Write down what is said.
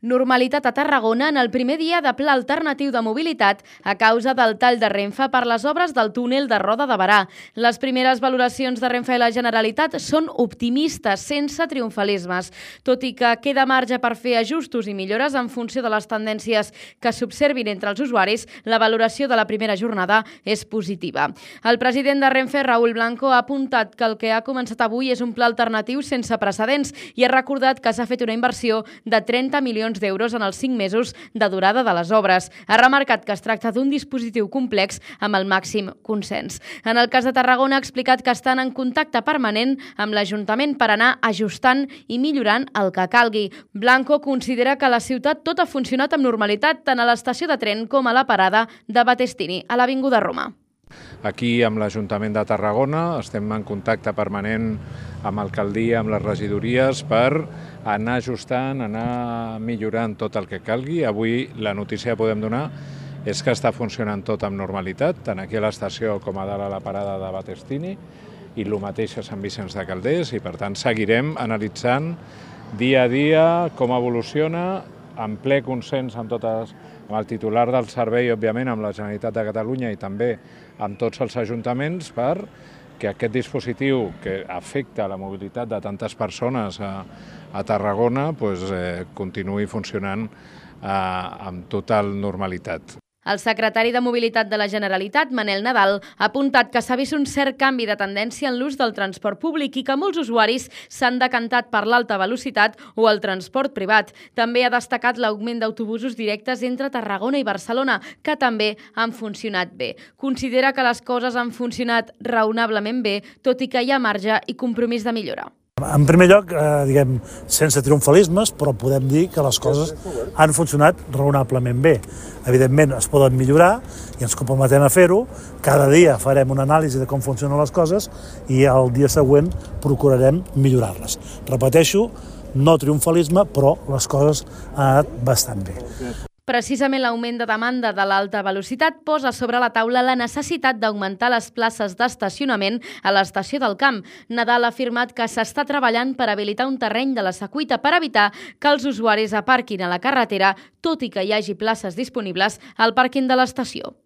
Normalitat a Tarragona en el primer dia de pla alternatiu de mobilitat a causa del tall de Renfe per les obres del túnel de Roda de Berà. Les primeres valoracions de Renfe i la Generalitat són optimistes, sense triomfalismes. Tot i que queda marge per fer ajustos i millores en funció de les tendències que s'observin entre els usuaris, la valoració de la primera jornada és positiva. El president de Renfe, Raúl Blanco, ha apuntat que el que ha començat avui és un pla alternatiu sense precedents i ha recordat que s'ha fet una inversió de 30 milions d'euros en els 5 mesos de durada de les obres. Ha remarcat que es tracta d'un dispositiu complex amb el màxim consens. En el cas de Tarragona ha explicat que estan en contacte permanent amb l'Ajuntament per anar ajustant i millorant el que calgui. Blanco considera que a la ciutat tot ha funcionat amb normalitat tant a l'estació de tren com a la parada de Battestini, a l'Avinguda Roma. Aquí amb l'Ajuntament de Tarragona estem en contacte permanent amb l'alcaldia, amb les regidories, per anar ajustant, anar millorant tot el que calgui. Avui la notícia que podem donar és que està funcionant tot amb normalitat, tant aquí a l'estació com a dalt a la parada de Battestini, i el mateix a Sant Vicenç de Calders, i per tant seguirem analitzant dia a dia com evoluciona, en ple consens amb el titular del servei, òbviament, amb la Generalitat de Catalunya i també amb tots els ajuntaments, per que aquest dispositiu que afecta la mobilitat de tantes persones a Tarragona continuï funcionant amb total normalitat. El secretari de Mobilitat de la Generalitat, Manel Nadal, ha apuntat que s'ha vist un cert canvi de tendència en l'ús del transport públic i que molts usuaris s'han decantat per l'alta velocitat o el transport privat. També ha destacat l'augment d'autobusos directes entre Tarragona i Barcelona, que també han funcionat bé. Considera que les coses han funcionat raonablement bé, tot i que hi ha marge i compromís de millora. En primer lloc, sense triomfalismes, però podem dir que les coses han funcionat raonablement bé. Evidentment, es poden millorar i ens comprometem a fer-ho. Cada dia farem una anàlisi de com funcionen les coses i el dia següent procurarem millorar-les. Repeteixo, no triomfalisme, però les coses han anat bastant bé. Precisament l'augment de demanda de l'alta velocitat posa sobre la taula la necessitat d'augmentar les places d'estacionament a l'estació del Camp. Nadal ha afirmat que s'està treballant per habilitar un terreny de la Secuita per evitar que els usuaris aparquin a la carretera, tot i que hi hagi places disponibles al pàrquing de l'estació.